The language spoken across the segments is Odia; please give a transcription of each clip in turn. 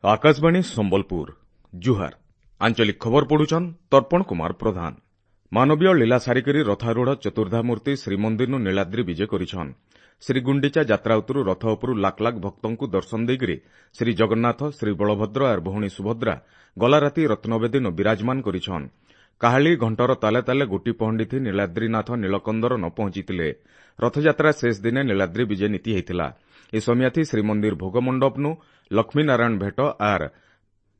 ଆକାଶବାଣୀ ସମ୍ବଲପୁର, ଜୁହାର। ଆଞ୍ଚଳିକ ଖବର ପଢୁଛନ୍ ତର୍ପଣ କୁମାର ପ୍ରଧାନ। ମାନବୀୟ ଲୀଳା ସାରିକରି ରଥାରୂଢ଼ ଚତୁର୍ଦ୍ଧାମୂର୍ତ୍ତି ଶ୍ରୀମନ୍ଦିରନୁ ନୀଳାଦ୍ରି ବିଜେ କରିଛନ୍। ଶ୍ରୀଗୁଣ୍ଡିଚା ଯାତ୍ରା ଉତରୁ ରଥ ଉପରୁ ଲାଖ ଲାଖ ଭକ୍ତଙ୍କୁ ଦର୍ଶନ ଦେଇକରି ଶ୍ରୀଜଗନ୍ନାଥ, ଶ୍ରୀବଳଭଦ୍ର ଆର୍ ଭଉଣୀ ସୁଭଦ୍ରା ଗଲା ରାତି ରତ୍ନବେଦୀନୁ ବିରାଜମାନ କରିଛନ୍। କାହାଳୀ ଘଣ୍ଟର ତାଲେ ତାଲେ ଗୋଟି ପହଣ୍ଡିଥି ନୀଳାଦ୍ରିନାଥ ନୀଳକନ୍ଦରନ ପହଞ୍ଚିଥିଲେ। ରଥଯାତ୍ରା ଶେଷ ଦିନେ ନୀଳାଦ୍ରି ବିଜେ ନୀତି ହେଇଥିଲା। ଏ ସମିୟାଥି ଶ୍ରୀମନ୍ଦିର ଭୋଗ ମଣ୍ଡପନୁ ଲକ୍ଷ୍ମୀନାରାୟଣ ଭେଟ ଆର୍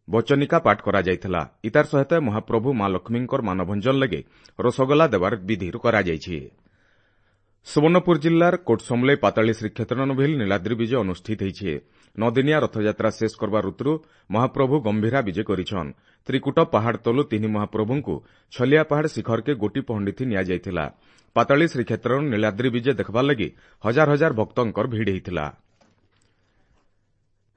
ବଚନିକା ପାଠ କରାଯାଇଥିଲା। ଇତାର ସହିତ ମହାପ୍ରଭୁ ମା ଲକ୍ଷ୍ମୀଙ୍କର ମାନଭଞ୍ଜନ ଲାଗି ରସଗୋଲା ଦେବାର ବିଧି କରାଯାଇଛି। ସୁବର୍ଣ୍ଣପୁର ଜିଲ୍ଲାର କୋଟସମଲେଇ ପାତାଳୀ ଶ୍ରୀକ୍ଷେତ୍ରନ ଭିଲ୍ ନୀଳାଦ୍ରି ବିଜେ ଅନୁଷ୍ଠିତ ହେଇଛି। ନଅଦିନିଆ ରଥଯାତ୍ରା ଶେଷ କରବାର ଋତୁରୁ ମହାପ୍ରଭୁ ଗମ୍ଭୀରା ବିଜେ କରିଛନ୍। ତ୍ରିକୁଟ ପାହାଡ଼ ତଲୁ ତିନି ମହାପ୍ରଭୁଙ୍କୁ ଛଲିଆ ପାହାଡ଼ ଶିଖରକେ ଗୋଟି ପହଣ୍ଡିଥି ନିଆଯାଇଥିଲା। ପାତାଳୀ ଶ୍ରୀକ୍ଷେତ୍ରରୁ ନୀଳାଦ୍ରି ବିଜେ ଦେଖବାର ଲାଗି ହଜାର ହଜାର ଭକ୍ତଙ୍କର ଭିଡ଼ ହେଇଥିଲା।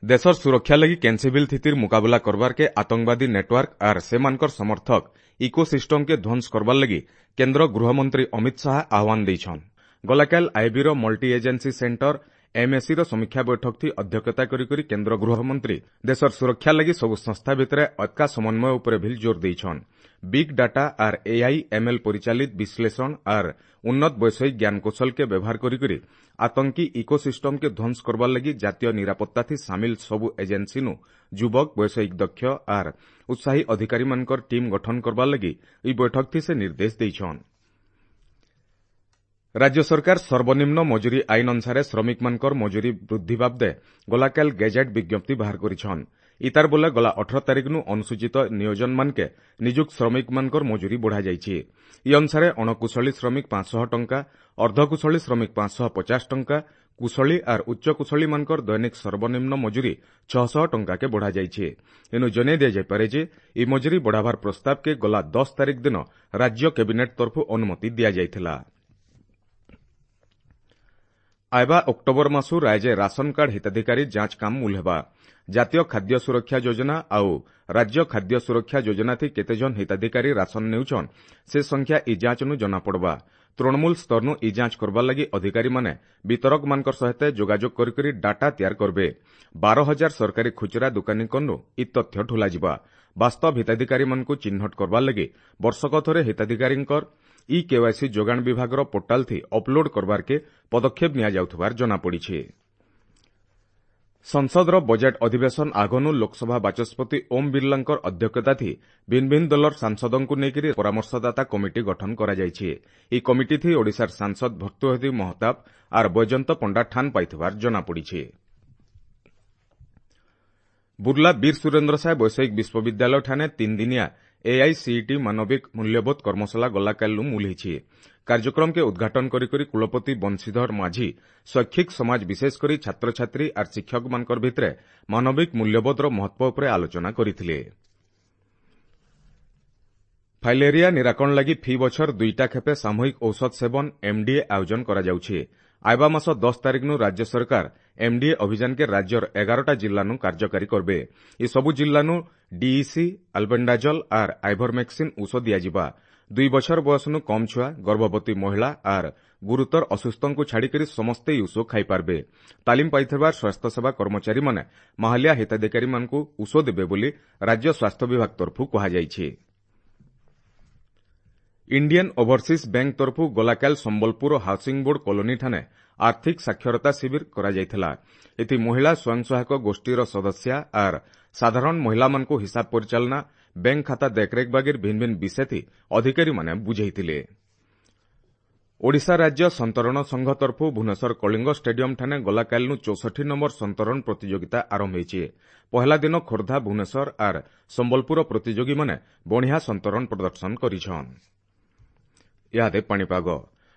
ଦେଶର ସୁରକ୍ଷା ଲାଗି କେନ୍ସିବିଲ୍ ଥିତିର ମୁକାବିଲା କରବାରକେ ଆତଙ୍କବାଦୀ ନେଟୱାର୍କ ଆର୍ ସେମାନଙ୍କର ସମର୍ଥକ ଇକୋସିଷ୍ଟମକେ ଧ୍ୱଂସ କରବାର ଲାଗି କେନ୍ଦ୍ର ଗୃହମନ୍ତ୍ରୀ ଅମିତ ଶାହା ଆହ୍ୱାନ ଦେଇଛନ୍। ଗଲାକାଲ ଆଇବିର ମଲ୍ଟି ଏଜେନ୍ସି ସେଣ୍ଟର ଏମ୍ଏସିର ସମୀକ୍ଷା ବୈଠକଥି ଅଧ୍ୟକ୍ଷତା କରିକରି କେନ୍ଦ୍ର ଗୃହମନ୍ତ୍ରୀ ଦେଶର ସୁରକ୍ଷା ଲାଗି ସବୁ ସଂସ୍ଥା ଭିତରେ ଅତ୍କା ସମନ୍ୱୟ ଉପରେ ଭିଲ୍ ଜୋର ଦେଇଛନ୍। ବିଗ୍ ଡାଟା ଆର୍ ଏଆଇ ଏମ୍ଏଲ୍ ପରିଚାଳିତ ବିଶ୍ଳେଷଣ ଆର୍ ଉନ୍ନତ ବୈଷୟିକ ଜ୍ଞାନକୌଶଲକେ ବ୍ୟବହାର କରିକରି ଆତଙ୍କୀ ଇକୋସିଷ୍ଟମକେ ଧ୍ୱଂସ କରବାର ଲାଗି ଜାତୀୟ ନିରାପତ୍ତାଥି ସାମିଲ ସବୁ ଏଜେନ୍ସିନୁ ଯୁବକ, ବୈଷୟିକ ଦକ୍ଷ ଆର୍ ଉତ୍ସାହୀ ଅଧିକାରୀମାନଙ୍କର ଟିମ୍ ଗଠନ କରବାର ଲାଗି ଏହି ବୈଠକଥି ସେ ନିର୍ଦ୍ଦେଶ ଦେଇଛନ୍। ରାଜ୍ୟ ସରକାର ସର୍ବନିମ୍ନ ମଜୁରୀ ଆଇନ ଅନୁସାରେ ଶ୍ରମିକମାନଙ୍କର ମଜୁରୀ ବୃଦ୍ଧି ବାବଦେ ଗଲାକାଲ ଗେଜେଟ୍ ବିଜ୍ଞପ୍ତି ବାହାର କରିଛନ୍। ଇତାର ବୋଲେ ଗଲା 18 ତାରିଖନୁ ଅନୁସୂଚିତ ନିୟୋଜନମାନକେ ନିଯୁକ୍ତ ଶ୍ରମିକମାନଙ୍କର ମଜୁରୀ ବଢ଼ାଯାଇଛି। ଇ ଅନୁସାରେ ଅଣକୁଶଳୀ ଶ୍ରମିକ 500 ଟଙ୍କା, ଅର୍ଦ୍ଧକୁଶଳୀ ଶ୍ରମିକ 550 ଟଙ୍କା, କୁଶଳୀ ଆର୍ ଉଚ୍ଚକୁଶଳୀମାନଙ୍କର ଦୈନିକ ସର୍ବନିମ୍ନ ମଜୁରୀ 600 ଟଙ୍କାକେ ବଢ଼ାଯାଇଛି। ଏନୁ ଜଣାଇ ଦିଆଯାଇପାରେ ଯେ ଇ ମଜୁରୀ ବଢ଼ାବାର ପ୍ରସ୍ତାବକେ ଗଲା 10 ତାରିଖ ଦିନ ରାଜ୍ୟ କ୍ୟାବିନେଟ୍ ତରଫରୁ ଅନୁମତି ଦିଆଯାଇଥିଲା। ଆଇବା ଅକ୍ଟୋବର ମାସୁ ରାଜ୍ୟ ରାସନ କାର୍ଡ ହିତାଧିକାରୀ ଯାଞ୍ଚ କାମ ମୂଲ ହେବା। ଜାତୀୟ ଖାଦ୍ୟ ସୁରକ୍ଷା ଯୋଜନା ଆଉ ରାଜ୍ୟ ଖାଦ୍ୟ ସୁରକ୍ଷା ଯୋଜନାଥି କେତେଜଣ ହିତାଧିକାରୀ ରାସନ ନେଉଛନ୍ ସେ ସଂଖ୍ୟା ଇ ଯାଞ୍ଚନୁ ଜଣାପଡ଼ବା। ତୃଣମୂଳ ସ୍ତରନୁ ଇ ଯାଞ୍ଚ କରବାର ଲାଗି ଅଧିକାରୀମାନେ ବିତରକମାନଙ୍କର ସହିତ ଯୋଗାଯୋଗ କରିକରି ଡାଟା ତିଆର କରବେ। 12,000 ସରକାରୀ ଖୁଚୁରା ଦୋକାନୀଙ୍କନୁ ଇ ତଥ୍ୟ ଠୁଲାଯିବା। ବାସ୍ତବ ହିତାଧିକାରୀମାନଙ୍କୁ ଚିହ୍ନଟ କରବାର ଲାଗି ବର୍ଷକ ଥରେ ହିତାଧିକାରୀଙ୍କର ଇ କେୱାଇସି ଯୋଗାଣ ବିଭାଗର ପୋର୍ଟାଲଥି ଅପଲୋଡ କରବାରକେ ପଦକ୍ଷେପ ନିଆଯାଉଥିବାର ଜଣାପଡ଼ିଛି। ସଂସଦର ବଜେଟ୍ ଅଧିବେଶନ ଆଗନୁ ଲୋକସଭା ବାଚସ୍ପତି ଓମ୍ ବିର୍ଲାଙ୍କର ଅଧ୍ୟକ୍ଷତାଥି ଭିନ୍ନ ଭିନ୍ନ ଦଳର ସାଂସଦଙ୍କୁ ନେଇକରି ପରାମର୍ଶଦାତା କମିଟି ଗଠନ କରାଯାଇଛି। ଏହି କମିଟିଥି ଓଡ଼ିଶାର ସାଂସଦ ଭର୍ତ୍ତୃହରି ମହତାବ ଆର୍ ବୈଜୟନ୍ତ ପଣ୍ଡା ଠାନ ପାଇଥିବାର ଜଣାପଡ଼ିଛି। ବୁର୍ଲା ବୀର ସୁରେନ୍ଦ୍ର ସାଏ ବୈଷୟିକ ବିଶ୍ୱବିଦ୍ୟାଳୟ ଠାନେ ତିନିଦିନିଆ ଏଆଇସିଇଟି ମାନବିକ ମୂଲ୍ୟବୋଧ କର୍ମଶାଳା ଗଲାକାଲିରୁ ମୂଲ ହେଇଛି। କାର୍ଯ୍ୟକ୍ରମକେ ଉଦ୍ଘାଟନ କରିକରି କୁଳପତି ବଂଶୀଧର ମାଝୀ ଶୈକ୍ଷିକ ସମାଜ ବିଶେଷ କରି ଛାତ୍ରଛାତ୍ରୀ ଆର୍ ଶିକ୍ଷକମାନଙ୍କର ଭିତରେ ମାନବିକ ମୂଲ୍ୟବୋଧର ମହତ୍ୱ ଉପରେ ଆଲୋଚନା କରିଥିଲେ। ଫାଇଲେରିଆ ନିରାକରଣ ଲାଗି ଫି ବଛର ଦୁଇଟା ଖେପେ ସାମୂହିକ ଔଷଧ ସେବନ ଏମ୍ଡିଏ ଆୟୋଜନ କରାଯାଉଛି। ଆଇବା ମାସ 10 ତାରିଖନୁ ରାଜ୍ୟ ସରକାର ଏମ୍ଡିଏ ଅଭିଯାନକେ ରାଜ୍ୟର 11ଟା ଜିଲ୍ଲାନୁ କାର୍ଯ୍ୟକାରୀ କରବେ। ଏସବୁ ଜିଲ୍ଲାନୁ ଡିଇସି, ଆଲବେଣ୍ଡାଜଲ ଆର୍ ଆଇଭରମେକ୍ସିନ୍ ଔଷଧ ଦିଆଯିବା। 2 ବଛର ବୟସନୁ କମ୍ ଛୁଆ, ଗର୍ଭବତୀ ମହିଳା ଆର୍ ଗୁରୁତର ଅସୁସ୍ଥଙ୍କୁ ଛାଡ଼ିକରି ସମସ୍ତେ ଏହି ଔଷଧ ଖାଇପାରବେ। ତାଲିମ ପାଇଥିବା ସ୍ୱାସ୍ଥ୍ୟସେବା କର୍ମଚାରୀମାନେ ମାହାଲିଆ ହିତାଧିକାରୀମାନଙ୍କୁ ଔଷଧ ଦେବେ ବୋଲି ରାଜ୍ୟ ସ୍ୱାସ୍ଥ୍ୟ ବିଭାଗ ତରଫରୁ କୁହାଯାଇଛି। ଇଣ୍ଡିଆନ୍ ଓଭରସିଜ୍ ବ୍ୟାଙ୍କ ତରଫରୁ ଗଲାକାଲ ସମ୍ବଲପୁର ହାଉସିଂ ବୋର୍ଡ କଲୋନୀ ଠାନେ ଆର୍ଥିକ ସାକ୍ଷରତା ଶିବିର କରାଯାଇଥିଲା। ଏଥି ମହିଳା ସ୍ୱୟଂ ସହାୟକ ଗୋଷ୍ଠୀର ସଦସ୍ୟା ଆର୍ ସାଧାରଣ ମହିଳାମାନଙ୍କୁ ହିସାବ ପରିଚାଳନା, ବ୍ୟାଙ୍କ ଖାତା ଦେଖରେଖ ବାଗିର ଭିନ୍ନ ଭିନ୍ନ ବିଷୟଥି ଅଧିକାରୀମାନେ ବୁଝାଇଥିଲେ। ଓଡ଼ିଶା ରାଜ୍ୟ ସନ୍ତରଣ ସଂଘ ତରଫରୁ ଭୁବନେଶ୍ୱର କଳିଙ୍ଗ ଷ୍ଟାଡିୟମ ଠାନେ ଗଲାକାଲିନୁ 64 ନମ୍ବର ସନ୍ତରଣ ପ୍ରତିଯୋଗିତା ଆରମ୍ଭ ହେଇଛି। ପହଲା ଦିନ ଖୋର୍ଦ୍ଧା, ଭୁବନେଶ୍ୱର ଆର୍ ସମ୍ବଲପୁର ପ୍ରତିଯୋଗୀମାନେ ବଢ଼ିଆ ସନ୍ତରଣ ପ୍ରଦର୍ଶନ କରିଛନ୍। ଇହାଦେ ପାଣିପାଗ।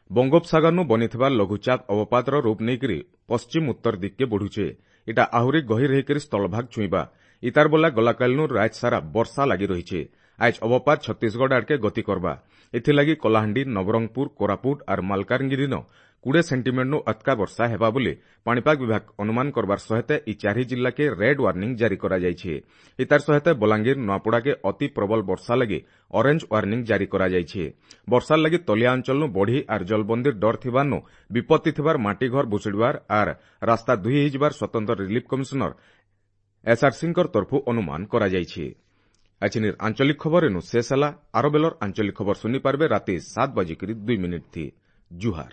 ବଙ୍ଗୋପସାଗରନୁ ବନିଥିବା ଲଘୁଚାପ ଅବପାତର ରୂପ ନେଇକରି ପଶ୍ଚିମ ଉତ୍ତର ଦିଗକେ ବଢ଼ୁଛେ। ଇଟା ଆହୁରି ଗହିର ହେଇକରି ସ୍ଥଳଭାଗ ଛୁଇଁବା। ଇତାର ବୋଲା ଗଲାକାଲିନୁ ରାଜ ସାରା ବର୍ଷା ଲାଗି ରହିছে। ଆଜ ଅବପାତ ଛତିଶଗଡ଼ ଆଡ଼କେ ଗତି କରବା। ଏଥିଲାଗି କଳାହାଣ୍ଡି, ନବରଙ୍ଗପୁର, କୋରାପୁଟ ଆର୍ ମାଲକାନଗିରିନ 20 ସେଣ୍ଟିମିଟରନୁ ଅତକା ବର୍ଷା ହେବା ବୋଲି ପାଣିପାଗ ବିଭାଗ ଅନୁମାନ କରବାର ସହିତ ଇ ଚାରି ଜିଲ୍ଲାକେ ରେଡ୍ ୱାର୍ଣ୍ଣିଂ ଜାରି କରାଯାଇଛି। ଇତାର ସହିତ ବଲାଙ୍ଗୀର, ନୂଆପଡ଼ାକେ ଅତି ପ୍ରବଳ ବର୍ଷା ଲାଗି ଅରେଞ୍ଜ ୱାର୍ଣ୍ଣିଂ ଜାରି କରାଯାଇଛି। ବର୍ଷାର ଲାଗି ତଳିଆ ଅଞ୍ଚଳନୁ ବଢ଼ି ଆର୍ ଜଳବନ୍ଦୀର ଡର ଥିବାନୁ ବିପତ୍ତି ଥିବାର ମାଟି ଘର ଭୁଷୁଡ଼ିବାର ଆର୍ ରାସ୍ତା ଧୋଇ ହେଇଯିବାର ସ୍ୱତନ୍ତ୍ର ରିଲିଫ କମିଶନର ଏସ୍ଆର୍ସିଙ୍କର ତରଫୁ ଅନୁମାନ କରାଯାଇଛି। ଏଛିନିର ଆଞ୍ଚଳିକ ଖବର ଏନୁ ଶେଷ ହେଲା। ଆର ବେଲର ଆଞ୍ଚଳିକ ଖବର ଶୁନି ପାରବେ ରାତି 7:02 ଥି। ଜୁହାର।